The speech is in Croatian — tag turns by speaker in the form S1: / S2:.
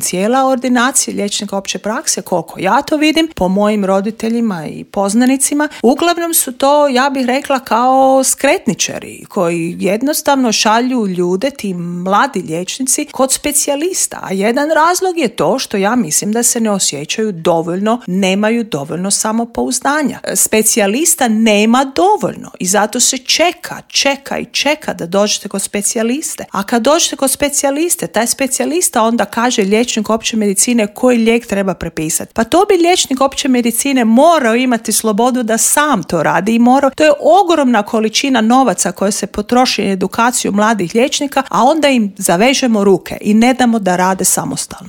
S1: Cijela ordinacija liječnika opće prakse, koliko ja to vidim, po mojim roditeljima i poznanicima, uglavnom su to, ja bih rekla, kao skretničari koji jednostavno šalju ljude, ti mladi liječnici, kod specijalista. A jedan razlog je to što ja mislim da se ne osjećaju dovoljno, nemaju dovoljno samopouzdanja. Specijalista nema dovoljno i zato se čeka da dođete kod specijaliste. A kad dođete kod specijaliste, taj specijalista onda kaže liječnik opće medicine koji lijek treba prepisati. Pa to bi liječnik opće medicine morao imati slobodu da sam to radi i morao. To je ogromna količina novaca koja se potroši na edukaciju mladih liječnika, a onda im zavežemo ruke i ne damo da rade samostalno.